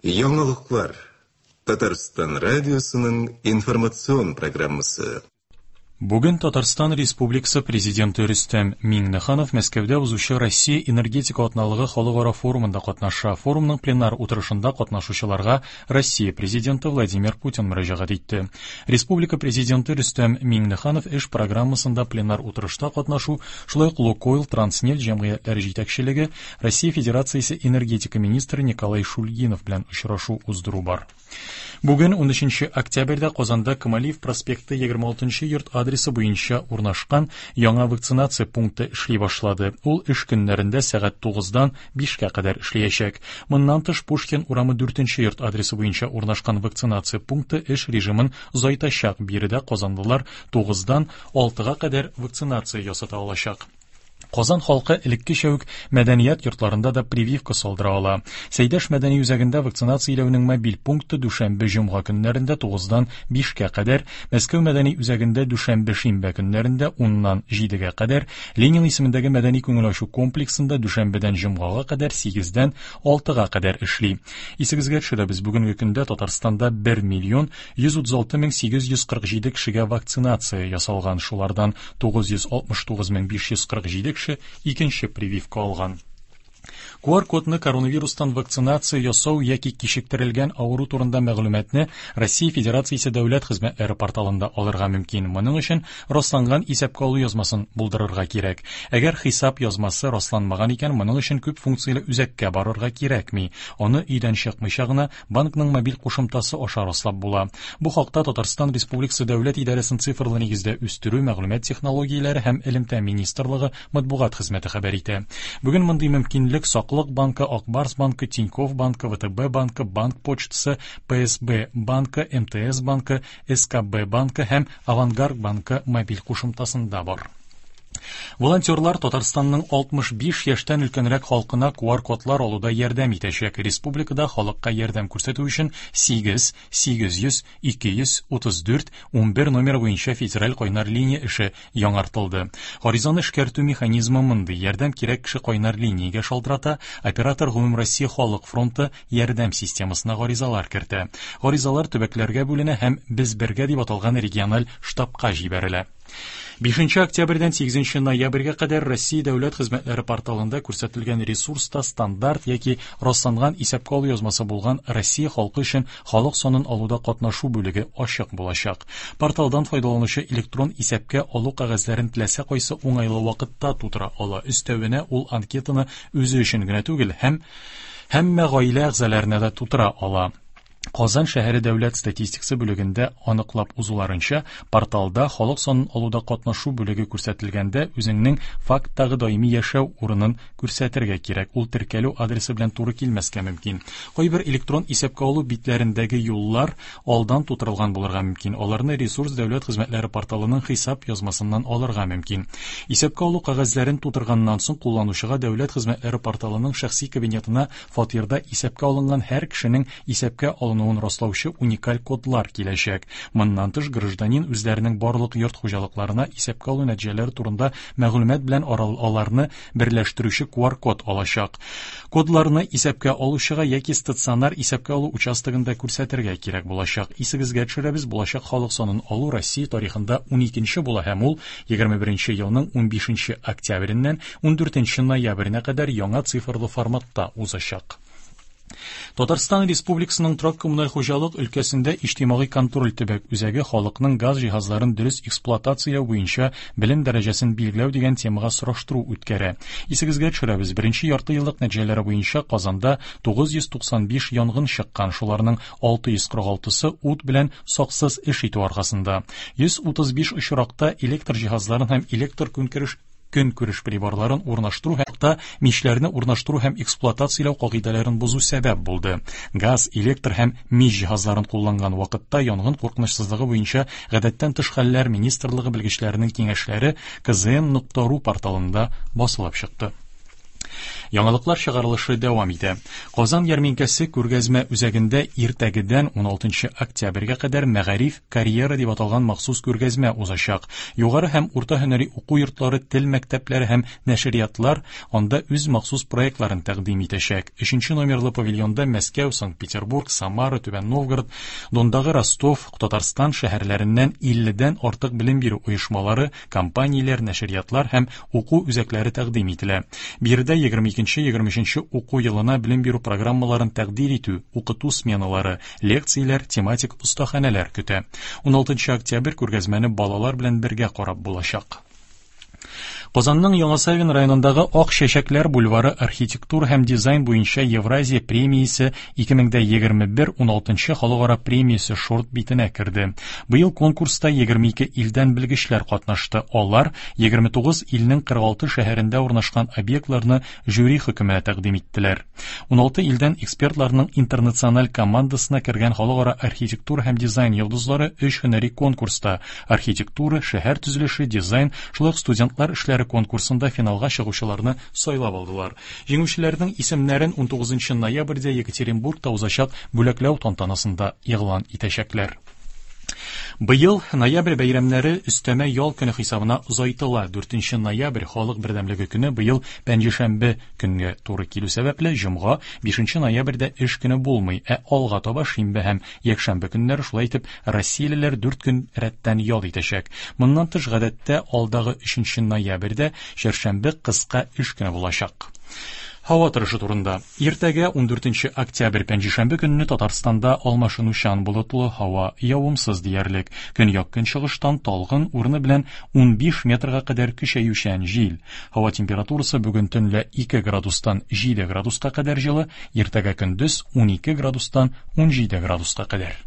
Яңалыклар. Татарстан радиосының информацион программасы. Бүген Татарстан Республикасы Президенты Рөстәм Миңнеханов Мәскәүдә узучы Россия энергетика атналыгы халыкара форумында катнаша. Форумның пленар утырышында катнашучыларга Россия Президенты Владимир Путин мөрәҗәгать итте. Республика Президенты Рөстәм Миңнеханов эш программасында пленар утырышта катнашу, шулай ук Лукойл Транснефть җәмгыятьләре җитәкчелеге, Россия Федерациясе энергетика министры Николай Шульгинов белән очрашу уздыру бар. Бүген 13 октябрьдә Казанда Камалиев проспекты 26 йорт адресы буенча урнашкан яңа вакцинация пункты эшли башлады. Ул эш көннәрендә сәгать 9-дан 5-кә кадәр эшләячәк. Моннан тыш Пушкин урамы 4 йорт адресы буенча урнашкан вакцинация пункты эш режимын озайтачак. Биредә казанлылар 9-дан 6-га кадәр вакцинация ясата алачак. Казан халкы элеккечә үк мәдәният йортларында да прививка салдыра ала. Сәйдәш мәдәни үзәгендә вакцинацияләүнең мобиль пункты дүшәмбе-җомга көннәрендә 9-дан 5-кә кадәр, Мәскәү мәдәни үзәгендә дүшәмбе-шимбә көннәрендә 10-нан 7-гә кадәр, Ленин исемендәге мәдәни күңел ачу комплексында дүшәмбедән җомгага кадәр 8-дән 6-га кадәр эшли. Исегезгә төшерәбез, бүгенге көндә Татарстанда 1 миллион 136 мең 847 кешегә вакцинация ясалган, шулардан 969 мең 547 кеше икенче прививка алган. QR-кодны коронавирустан вакцинация ясау яки кичектерелгән авыру турында мәгълүматны Россия Федерациясе дәүләт хезмәтләре порталында алырга мөмкин. Моның өчен расланган исәпкә алу язмасын булдырырга кирәк. Әгәр хисап язмасы расланмаган икән, моның өчен күп функцияле үзәккә барырга кирәкми. Аны өйдән чыкмыйча гына банкның мобиль кушымтасы аша раслап була. Бу хакта Татарстан Республикасы Дәүләт идарәсен цифрлы нигездә үстерү, мәгълүмат технологияләре һәм элемтә министрлыгы матбугат хезмәте хәбәр итә. Бүген мондый мөмкинлек Саклык банкы, Ак Барс банкы, Тинькофф банкы, ВТБ банкы, Банк почтасы, ПСБ банкы, МТС банкы, СКБ банкы һәм Авангард банкы мобиль кушымтасында бар. Волонтерлар Татарстанның 65 яшьтән өлкәнрәк халкына QR-кодлар алуда ярдәм итәчәк. Республикада халыкка ярдәм күрсәтү өчен 8 800 234 11 номер буенча федераль кайнар линия эше яңартылды. Гаризаны эшкәртү механизмы мондый: ярдәм кирәк кеше кайнар линиягә шалтырата, оператор Гомумроссия халык фронты ярдәм системасына гаризалар кертә. Гаризалар төбәкләргә бүленә һәм Без бергә дип аталган региональ штабка җибәрелә. 5 октябрьдән 8 ноябрьгә кадәр Россия дәүләт хезмәтләре порталында күрсәтелгән ресурста стандарт яки расланган исәпкә алу язмасы булган Россия халкы өчен халык санын алуда катнашу бүлеге ачык булачак. Порталдан файдаланучы электрон исәпкә алу кәгазьләрен теләсә кайсы уңайлы вакытта тутыра ала. Өстәвенә ул анкетаны үзе өчен генә түгел, һәм һәммә гаилә әгъзаларына да тутыра ала. Казан шәһәре дәүләт статистикасы бүлегендә аныклап узуларынча, порталда халык санын алуда катнашу бүлеге күрсәтелгәндә үзеңнең факттагы даими яшәү урынын күрсәтергә кирәк. Ул теркәлү адресы белән туры килмәскә мөмкин. Кайбер электрон исәпкә алу битләрендәге юллар алдан тутырылган булырга мөмкин. Аларны ресурс дәүләт хезмәтләре порталының хисап язмасыннан алырга мөмкин. Исәпкә алу кәгазьләрен тутырганнан соң кулланучыга дәүләт хезмәтләре порталының шәхси кабинетына фатирда исәпкә алынган һәр кешенең исәпкә алынуын раслаучы уникаль кодлар киләчәк. Моннан тыш, гражданин үзләренең барлык йорт хуҗалыкларына исәпкә алу нәтиҗәләре турында мәгълүмат белән аларны берләштерүче QR-код алачак. Кодларны исәпкә алучыга яки стационар исәпкә алу участогында күрсәтергә кирәк булачак. Исегезгә төшерәбез, булачак халык санын алу Россия тарихында 12-нче була һәм ул 21 елның 15 октябреннән 14 ноябренә кадәр яңа цифрлы форматта узачак. Татарстан Республикасының торак-коммуналь хуҗалык өлкәсендә иҗтимагый контроль төбәк үзәге халыкның газ җиһазларын дөрес эксплуатацияләү буенча белем дәрәҗәсен билгеләү дигән темага сораштыру үткәрә. Исегезгә төшерәбез, беренче ярты еллык нәтиҗәләре буенча Казанда 995 янгын чыккан, шуларның 646-сы ут белән саксыз эш итү аркасында. 135 очракта электр җиһазларын һәм электр көнкүреш көнкүреш приборларын урнаштыру һәм та мичләрне урнаштыру һәм эксплуатацияләү кагыйдәләрен бозу сәбәп булды. Газ, электр һәм мич җиһазларын кулланган вакытта янгын куркынычсызлыгы буенча гадәттән тыш хәлләр министрлыгы белгечләренең киңәшләре kzn.ru порталында басылып чыкты. Яңалыклар чыгарылышы дәвам итә. Казан ярминкәсе күргәзмә үзәгендә иртәгедән 16 октябрьгә кадәр Мәгариф карьера дип аталган махсус күргәзмә узачак. Югары һәм урта һөнәри уку йортлары, тел мәктәпләре һәм нәшриятлар анда үз махсус проектларын тәкъдим итәчәк. Өченче номерлы павильонда Мәскәү, Санкт-Петербург, Самара, Түбән Новгород, Дондагы Ростов, Татарстан шәһәрләреннән 50дән артык белем бирү оешмалары, компанияләр, нәшриятлар һәм уку үзәкләре тәкъдим ителә. Биредә 22-23 уку елына белем бирү программаларын тәкъдир итү, укыту сменалары, лекцияләр, тематик остаханәләр көтә. 16 октябрь күргәзмәне балалар белән бергә карап булачак. Казанның Яңа Савин районындагы Ак чәчәкләр бульвары архитектура һәм дизайн буенча Евразия премиясе 2021 16 халыкара премиясе шорт битенә керде. Быел конкурста 22 илдән белгечләр катнашты. Алар 29 илнең 46 шәһәрендә урнашкан объектларны жюри хөкеменә тәкъдим иттеләр. 16 илдән экспертларның интернациональ командасына кергән халыкара архитектура һәм дизайн йолдызлары өч һөнәри конкурста архитектура, шәһәр төзелеше, дизайн, шулай ук студентлар эшләре конкурсында финалга чыгучыларны сайлап алдылар. Җиңүчеләрнең исемнәрен 19 ноябрьдә Екатеринбургта узачак бүләкләү тантанасында игълан итәчәкләр. Быел ноябрь бәйрәмнәре өстәмә ял көне хисабына озайтыла. 4 ноябрь халык бердәмлеге көне быел пәнҗешәмбе көнгә туры килү сәбәпле җомга 5 ноябрьдә эш көне булмый, ә алга таба шимбә һәм якшәмбе көннәре шулай итеп россиялеләр 4 көн рәттән ял итәчәк. Моннан тыш гадәттә алдагы 3 ноябрьдә чәршәмбе кыска эш көне булачак. Һава торышы турында. Иртәгә 14 октябрь пәнҗешәмбе көнне Татарстанда алмашынучан болытлы һава, явымсыз диярлек. Көньяк көнчыгыштан талгын урыны белән 15 метрга кадәр көчәючән җил. Һава температурасы бүген төнлә 2 градустан 7 градуска кадәр җылы, иртәгә көндез 12 градустан 17 градуска кадәр.